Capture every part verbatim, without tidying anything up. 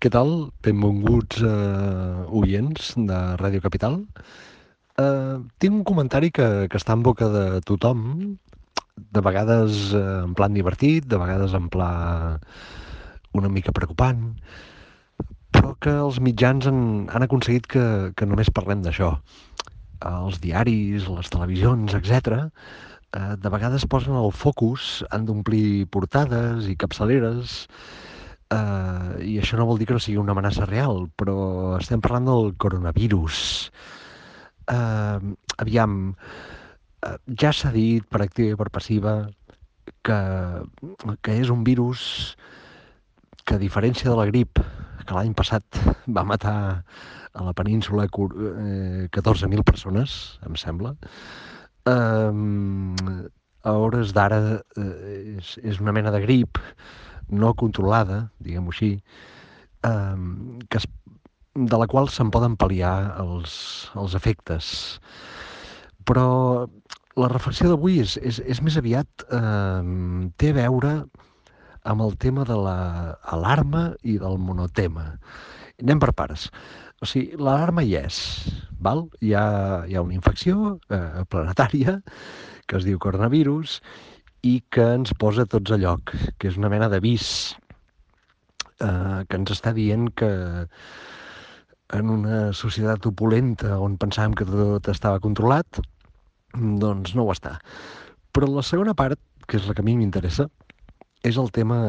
Què tal? Benvinguts eh, oients de Ràdio Capital. Eh, tinc un comentari que, que està en boca de tothom, de vegades eh, en plan divertit, de vegades en pla una mica preocupant, però que els mitjans han, han aconseguit que, que només parlem d'això. Els diaris, les televisions, etcètera, eh, de vegades posen el focus, han d'omplir portades i capçaleres, eh, i això no vol dir que no sigui una amenaça real, però estem parlant del coronavirus. Eh, aviam, eh, ja s'ha dit per activa i per passiva que, que és un virus que, a diferència de la grip, que l'any passat va matar a la península eh, catorze mil persones, em sembla, eh, a hores d'ara eh, és, és una mena de grip no controlada, diguem-ho així, eh, que es, de la qual se'n poden pal·liar els, els efectes. Però la reflexió d'avui és, és, és més aviat, eh, té a veure amb el tema de l'alarma i del monotema. Anem per pares. O sigui, l'alarma hi és, val? Hi ha, hi ha una infecció eh, planetària que es diu coronavirus i que ens posa tots a lloc, que és una mena d'avís eh, que ens està dient que en una societat opulenta on pensàvem que tot estava controlat, doncs no ho està. Però la segona part, que és la que a mi m'interessa, és el tema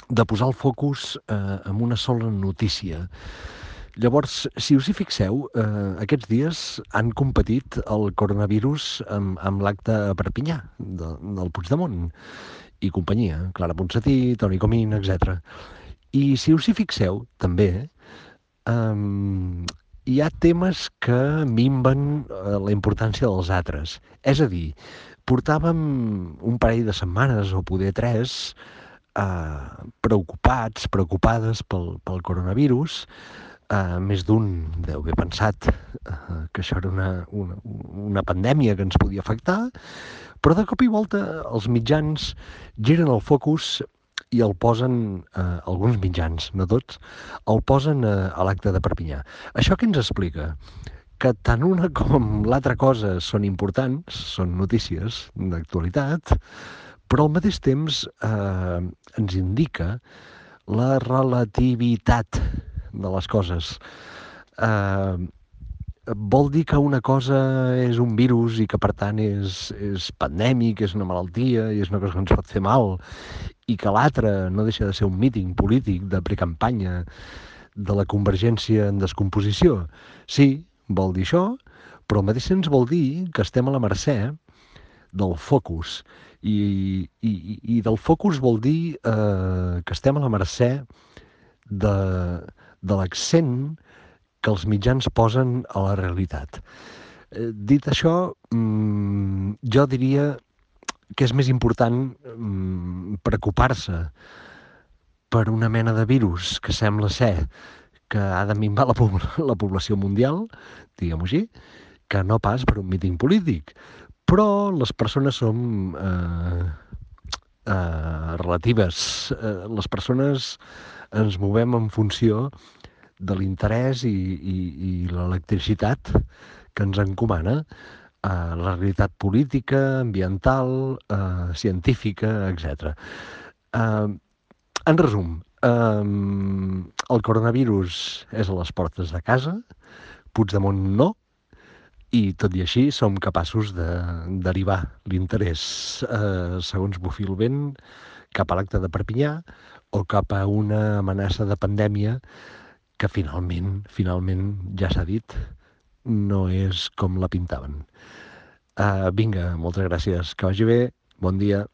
de posar el focus eh, en una sola notícia. Llavors, si us hi fixeu, eh, aquests dies han competit el coronavirus amb, amb l'acte a Perpinyà, de, del Puigdemont i companyia, Clara Ponsatí, Toni Comín, etcètera. I si us hi fixeu, també, eh, hi ha temes que minven eh, la importància dels altres. És a dir, portàvem un parell de setmanes, o poder tres, eh, preocupats, preocupades pel, pel coronavirus. Uh, més d'un deu haver pensat uh, que això era una, una, una pandèmia que ens podia afectar, però de cop i volta els mitjans giren el focus i el posen, uh, alguns mitjans, no tots, el posen uh, a l'acte de Perpinyà. Això què ens explica? Que tant una com l'altra cosa són importants, són notícies d'actualitat, però al mateix temps eh, ens indica la relativitat de les coses. Eh, vol dir que una cosa és un virus i que per tant és, és pandèmic, és una malaltia i és una cosa que ens pot fer mal, i que l'altra no deixa de ser un míting polític de precampanya de la convergència en descomposició. Sí, vol dir això, però al mateix temps vol dir que estem a la mercè del focus. I, i, i del focus vol dir eh, que estem a la mercè de, de l'accent que els mitjans posen a la realitat. Eh, dit això, mm, jo diria que és més important mm, preocupar-se per una mena de virus que sembla ser que ha de minvar la, la població mundial, diguem-ho així, que no pas per un míting polític. Però les persones som eh, eh, relatives. Eh, les persones ens movem en funció de l'interès i, i, i l'electricitat que ens encomana eh, la realitat política, ambiental, eh, científica, etcètera. Eh, en resum, eh, el coronavirus és a les portes de casa, Puigdemont no, i tot i així som capaços de derivar l'interès, eh, segons bufi el vent, cap a l'acte de Perpinyà o cap a una amenaça de pandèmia que finalment, finalment, ja s'ha dit, no és com la pintaven. Uh, vinga, moltes gràcies, que vagi bé, bon dia.